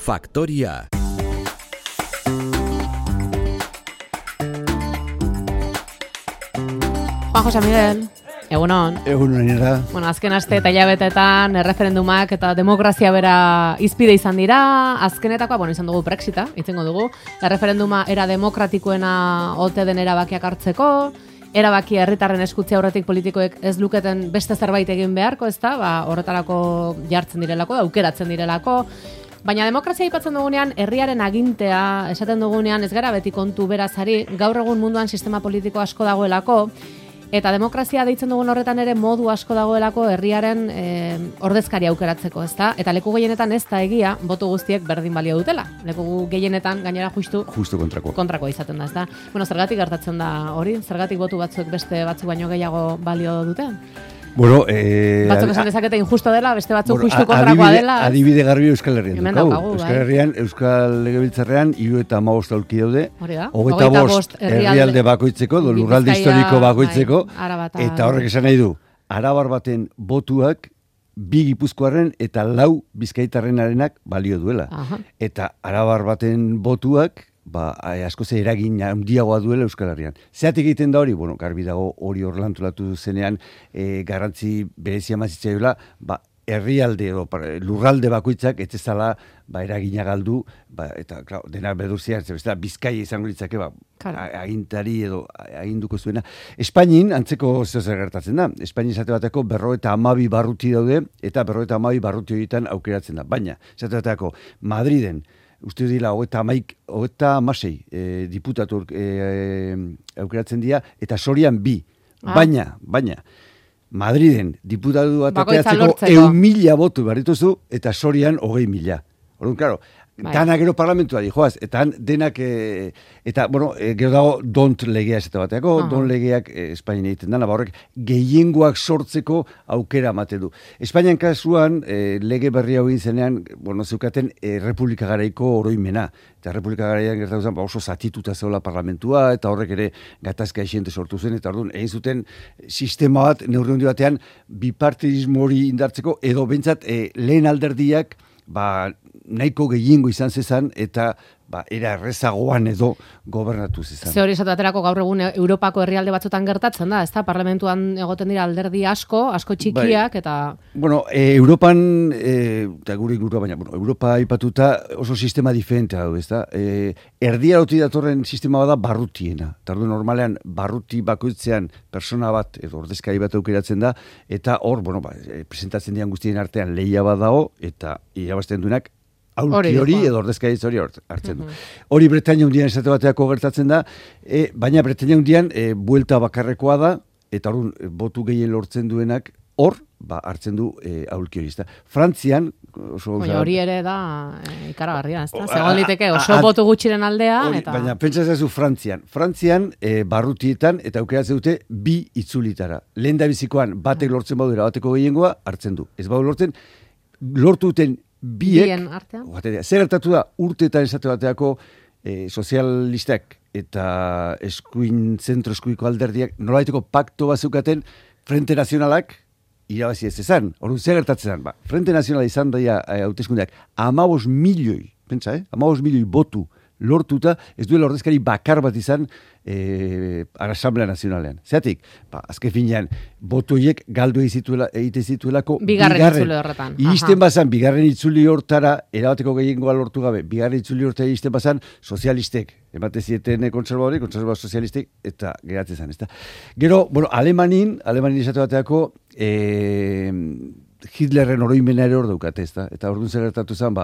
Faktoria. Juan José Miguel, egunon. Egunon era. Bueno, azken aste eta hilabetetan erreferendumak eta demokrazia bera hizpide izan dira. Azkenetakoa, izan dugu Brexita, itzengo dugu. Erreferenduma era demokratikoena ote den erabakiak hartzeko, erabakia herritarren eskutzea aurretik politikoek ez luketen beste zerbait egin beharko, ezta? Horretarako jartzen direlako, aukeratzen direlako. Baina demokrazia aipatzen dugunean, herriaren agintea, esaten dugunean, ez gara beti kontu berazari, gaur egun munduan sistema politiko asko dagoelako, eta demokrazia deitzen dugun horretan ere modu asko dagoelako herriaren ordezkaria aukeratzeko, ezta? Eta leku gehienetan ez da egia, boto guztiek berdin balio dutela. Leku gehienetan gainera justu kontrakoa izaten da, ezta? Bueno, zergatik gertatzen da hori? Zergatik botu batzuek beste batzuk baino gehiago balio dute? Bueno, batzuk esan dezakete injusto dela, beste batzuk justu kontrakoa dela. Adibide garbi Euskal Herrian daukagu. Euskal Herrian, Euskal Legebiltzarrean 75 aulki daude. 25 herrialde bakoitzeko, lurralde historiko bakoitzeko, eta horrek esan nahi du, arabar baten botuak 2 gipuzkoarren eta 4 bizkaitarrenarenak balio duela. Eta arabar baten botuak asko ze eragin handiagoa duela Euskal Herrian. Zeatik egiten da hori? Bueno, garbi dago hori horlantolatu zenean garrantzi berezia mazitzaioela, herrialde edo lurralde bakoitzak ez ezala eragina galdu, eta dena bedurzian, Bizkaia izango litzake, agintari edo aginduko zuena. Espainin antzeko zer gertatzen da. Espainin esate bateko 52 barruti daude, eta 52 barruti horietan aukeratzen da. Baina, esate bateko, Madriden, uste dira, 36 diputatu aukeratzen dira, eta Sorian 2. Baina, Madriden diputatu bat ateratzeko 100.000 botu barrituzu, eta Sorian 20.000. Orduan, klaro, dana gero parlamentua dijoaz, eta denak, gero dago dont legea esate bateako, dont legeak Espainian egiten dana, horrek gehiengoak sortzeko aukera ematen du. Espainian kasuan, lege berri hau egin zenean, zeukaten Republika Garaiko oroimena, eta Republika Garaian gertatu zen, oso zatituta zeola parlamentua, eta horrek ere gatazka esiente sortu zen, eta orduan, egin zuten sistema bat, neurri handi batean, bipartidismo hori indartzeko, edo bentsat lehen alderdiak, nahiko gehiengo izan zezan, eta era errezagoan edo gobernatu zezan. Ze hori esatu aterako gaur egun Europako herrialde batzutan gertatzen da, ezta? Parlamentuan egoten dira alderdi asko txikiak, eta... Bueno, Europan, eta gure ingurua, baina, Europa aipatuta oso sistema diferentea du, ezta? Erdiaroti datorren sistema bada barrutiena. Tardu normalean, barruti bakoitzean persona bat, edo ordezkari bat aukeratzen da, eta hor, presentatzen dian guztien artean lehia bat dago, eta irabazten duenak, aulki hori edo ordezkaritza hori hartzen du. Hori Bretaña hundian esate bateako gertatzen da, baina Bretaña hundian buelta bakarrekoa da, eta orduan botu gehien lortzen duenak hor hartzen du aulki hori. Frantzian... Hori ere da ikaragarria, ez da? Zegoen liteke oso botu gutxiren aldea. Baina pentsa ezazu Frantzian. Frantzian barrutietan eta aukeratzen dute 2 itzulitara. Lehen da bizikoan batek lortzen badu bateko gehiengoa hartzen du. Ez badu lortu duten biek, zer gertatu da, urteetan esate bateako sozialistak eta zentro eskuiko alderdiak nolabaiteko pakto bat zeukaten Frente Nazionalak irabazi ez ezan. Orduan, zer gertatzen da? Frente Nazionala izan daia hauteskundeak 15 milioi, pentsa, 15 milioi botu lortuta, ez duela ordezkari bakar bat izan Asamblea Nazionalean. Zeatik, azken finean, botu horiek galdu egite zituelako bigarren itzuli horretan. Iristen bazan, bigarren itzuli hortara, erabateko gehiengoa lortu gabe, bigarren itzuli hortara iristen bazan, sozialistek, emate zieten konservador sozialistek, eta geratzen zen, ezta. Gero, Alemanin esate bateako, Hitlerren oroimena ere hor daukate, ezta? Eta orduan zer gertatu zen,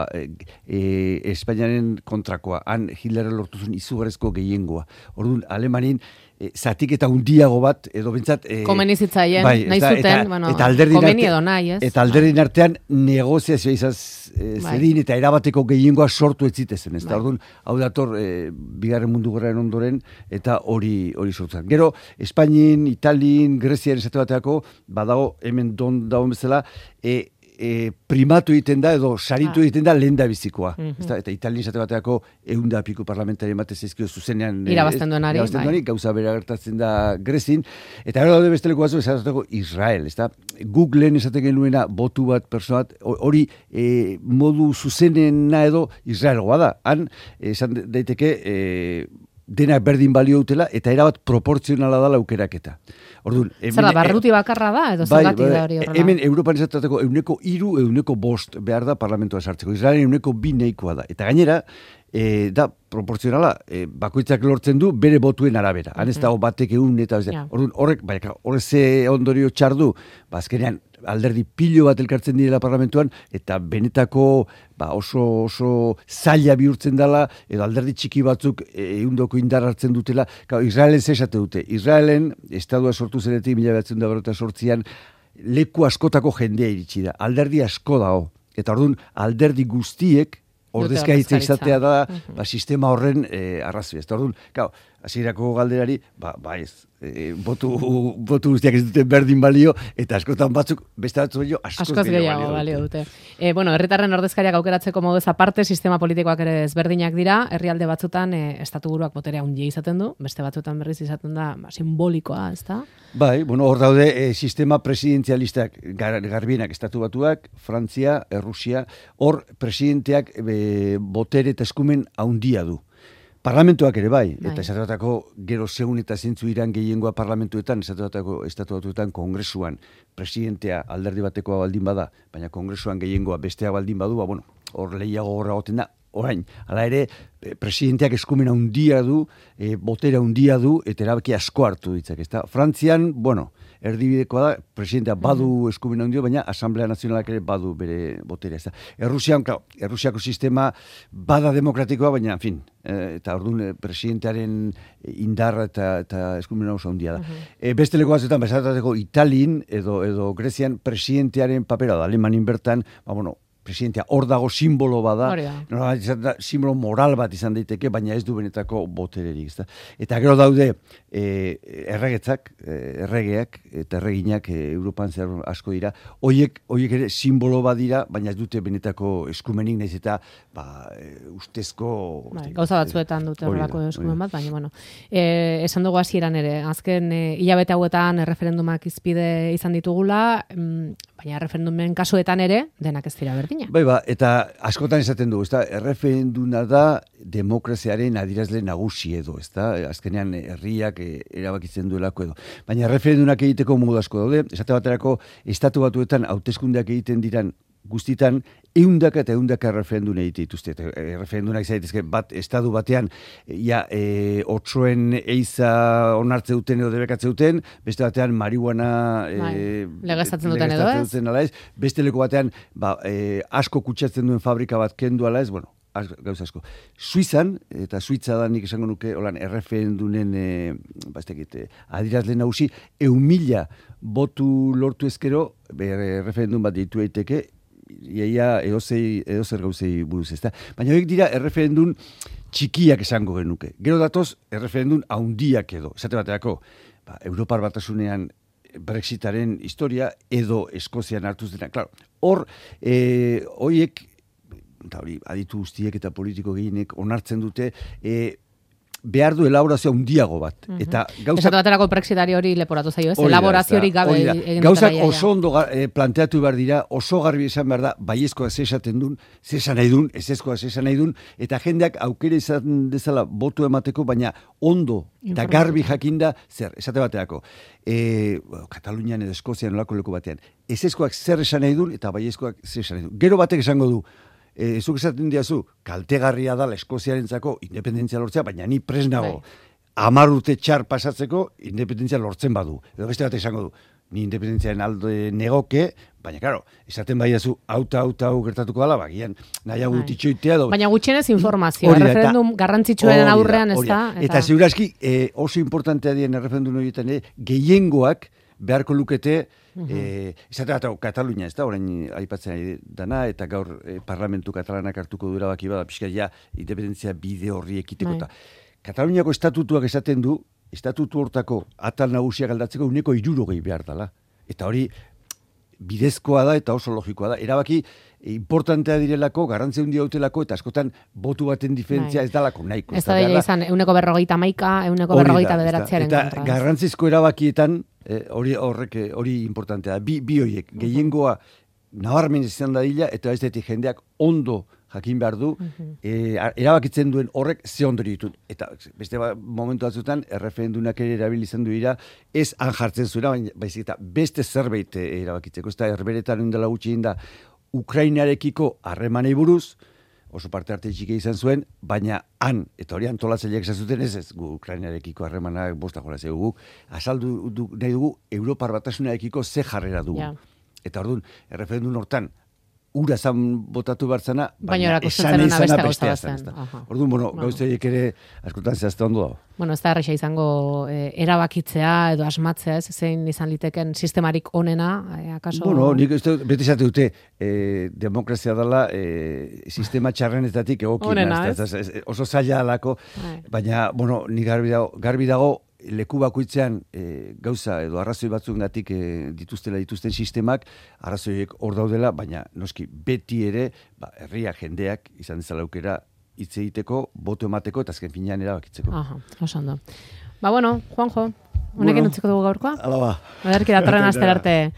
Espainiaren kontrakoa, han Hitlerren lortu zuen izugarrizko gehiengoa. Orduan, Alemanin zatik eta hundiago bat, edo bentsat... Komeni zitzaien, nahi zuten, komeni edo nahi, ez? Eta alderdin artean negoziazioa izaz zedin, eta erabateko gehiengoa sortu ez zitezen, ez da? Orduan, hau dator, bigarren mundu gerraren ondoren, eta hori sortzen. Gero, Espainin, Italin, Greziaren esate bateako, badago, hemen dagoen bezala, primatu egiten da edo saritu egiten da lehen da bizikoa. Eta Italien esate bateako 100 piku parlamentari batez ezkio zuzenean irabazten duenari, gauza bera gertatzen da Grezin, eta gero daude besteleko batzu esateko Israel, ezta? Googleen esaten genuena botu bat, persona bat, hori modu zuzenena edo Israelgoa da. Han, esan daiteke, denak berdin balio dutela, eta erabat proportzionala da laukeraketa. Orduan, zer da, barruti bakarra da, edo zergatik da hori horrela? Hemen Europan esateko 3%, 5% behar da parlamentoa sartzeko. Israelen 2% nahikoa da. Eta gainera, da proportzionala, bakoitzak lortzen du bere botuen arabera. Han ez dago batek egun eta orduan, horrek ze ondorio txardu, azkenean alderdi pilo bat elkartzen direla parlamentuan, eta benetako oso zaila bihurtzen dela, edo alderdi txiki batzuk ehundoko indar hartzen dutela. Israelen zesate dute. Israelen, estadua sortu zenetik, 1948an, leku askotako jendea iritsi da. Alderdi asko dago. Eta orduan, alderdi guztiek, ordezkaritza izatea da sistema horren arrazoi. Ez da, orduan, hasierako galderari, ez, botu guztiak ez dute berdin balio, eta askotan batzuk, beste batzu askoz gehiago balio dute. Herritarren ordezkariak aukeratzeko moduz aparte, sistema politikoak ere ezberdinak dira, herrialde batzutan estatuburuak boterea handia izaten du, beste batzutan berriz izaten da simbolikoa, ez da? Hor daude sistema presidenzialistak garbienak estatu batuak, Frantzia, Errusia, hor presidenteak botere eta eskumen handia du. Parlamentuak ere bai, eta esatuatako gero segun eta zentzu iran gehiengoa parlamentuetan, esatuatako estatu batuetan kongresuan presidentea alderdi batekoa baldin bada, baina kongresuan gehiengoa bestea baldin badu, hor lehiago horra goten da, orain, hala ere, presidenteak eskumen handia du, botere handia du, eta erabaki asko hartu ditzak, ezta? Frantzian, erdibidekoa da, presidentea badu eskumen handia, baina Asamblea Nazionalak ere badu bere boterea, ezta? Errusiako sistema bada demokratikoa, baina, en fin, eta orduan presidentearen indarra eta eskumen oso handia da. Beste leku batzuetan, bezatako Italin edo Grezian presidentearen papera da, Alemanin bertan, presidentea hor dago simbolo bada, simbolo moral bat izan daiteke, baina ez du benetako botererik. Eta gero daude erregeak eta erreginak Europan zer asko dira, hoiek ere simbolo bat dira, baina ez dute benetako eskumenik, nahiz eta ustezko... Gauza batzuetan dute horrelako eskumen bat, baina, esan dugu hasieran ere, azken hilabete hauetan erreferendumak izpide izan ditugula, baina erreferendumen kasuetan ere, denak ez dira berdin. Eta askotan esaten dugu, erreferenduna da demokraziaren adierazle nagusi edo, azkenean herriak erabakitzen duelako edo. Baina erreferendunak egiteko modu asko daude, esate baterako estatu batuetan hauteskundeak egiten diran guztitan, ehundaka eta ehundaka erreferendun egite dituzte. Erreferendunak zaitezke estatu batean, otsoen eiza onartze duten edo debekatze duten, beste batean marihuana legeztatzen duten edo ez? Beste leku batean asko kutsatzen duen fabrika bat kendu ala ez, gauza asko. Suizan, eta Suitza da nik esango nuke, erreferendunen adierazle nagusi, 1.000 botu lortu ezkero, erreferendun bat deitu daiteke, iaia edozer gauzei buruz, ezta? Baina horiek dira erreferendun txikiak esango genuke. Gero datoz, erreferendun handiak edo. Esate baterako, Europar Batasunean Brexitaren historia edo Eskozian hartuz dena. Claro, hor, horiek, eta hori, aditu guztiek eta politiko gehienek onartzen dute, behar du elaborazio handiago bat. Esatu baterako Brexitari hori leporatu zaio, ez? Elaboraziorik gabe egin dutela. Gauzak oso ondo planteatu behar dira, oso garbi esan behar da, baiezkoa zesaten dun, zesan nahi dun, ezezkoa zesan nahi dun, eta jendeak aukera izan dezala botu emateko, baina ondo eta garbi jakinda, zer, esate baterako, Katalunian edo Eskozian olako leku batean, ezezkoak zer esan nahi dun, eta baiezkoak zer esan nahi dun. Gero batek esango du, zuk esaten diazu, kaltegarria da Eskoziarentzako independentzia lortzea, baina ni prest nago 10 urte txar pasatzeko independentzia lortzen badu. Edo beste bat esango du, ni independentziaren alde negoke, baina, karo, esaten baiazu, hau gertatuko dela, bagian, nahiago ditxoitea. Baina gutxienez informazio, erreferendum garrantzitsuaren aurrean ez da. Eta segurazki, oso importantea dien erreferendum horietan, gehiengoak beharko lukete, esate bat, Katalunia, ez da, orain aipatzen dana, eta gaur parlamentu katalanak hartuko dura baki bada, pixka ja, independentzia bide horri ekiteko. Kataluniako estatutuak esaten du, estatutu hortako atal nagusiak aldatzeko 160 behar dela. Eta hori, bidezkoa da eta oso logikoa da. Erabaki importantea direlako, garrantzi handia dutelako, eta askotan botu baten diferentzia ez dalako nahiko. Ez da dira izan, 151, 159 eta garrantzizko erabakietan, hori importantea da. Bi horiek, gehiengoa nabarmen izan dadila, eta bestetik jendeak ondo jakin behar du, erabakitzen duen horrek ze ondori ditut. Eta beste momentu batzutan, erreferendunak ere erabilizan du dira, ez han jartzen zuena, baizik eta beste zerbait erabakitzeko. Ez da, herberetan indela gutxi da, Ukrainarekiko harremanei buruz, oso parte arte txiki izan zuen, baina han, eta hori antolatzaileak izan zuten ez Ukrainarekiko harremanak bosta jola zeugu, azaldu nahi dugu Europar Batasunarekiko ze jarrera dugu. Yeah. Eta orduan, erreferendun hortan, ura zan botatu bartzana, baina esan izana bestea zen. Orduan, gauzeiek ere askotan zehazte ondo dago. Bueno, ez da erresa izango erabakitzea edo asmatzea, ez zein izan liteken sistemarik onena, akaso? Bueno, nik beti izate dute, demokrazia dela sistema txarrenetatik egokiena. Oso zaila alako, baina, bueno, nik garbi dago, leku bakoitzean gauza edo arrazoi batzuengatik dituzten sistemak, arrazoiek hor daudela, baina noski beti ere herria jendeak izan dezala aukera hitz egiteko, boto emateko eta azken finean erabakitzeko. Aha, oso ondo. Ba bueno, Juanjo, honekin utziko dugu gaurkoa? Hala ba. Ederki datorren astera arte.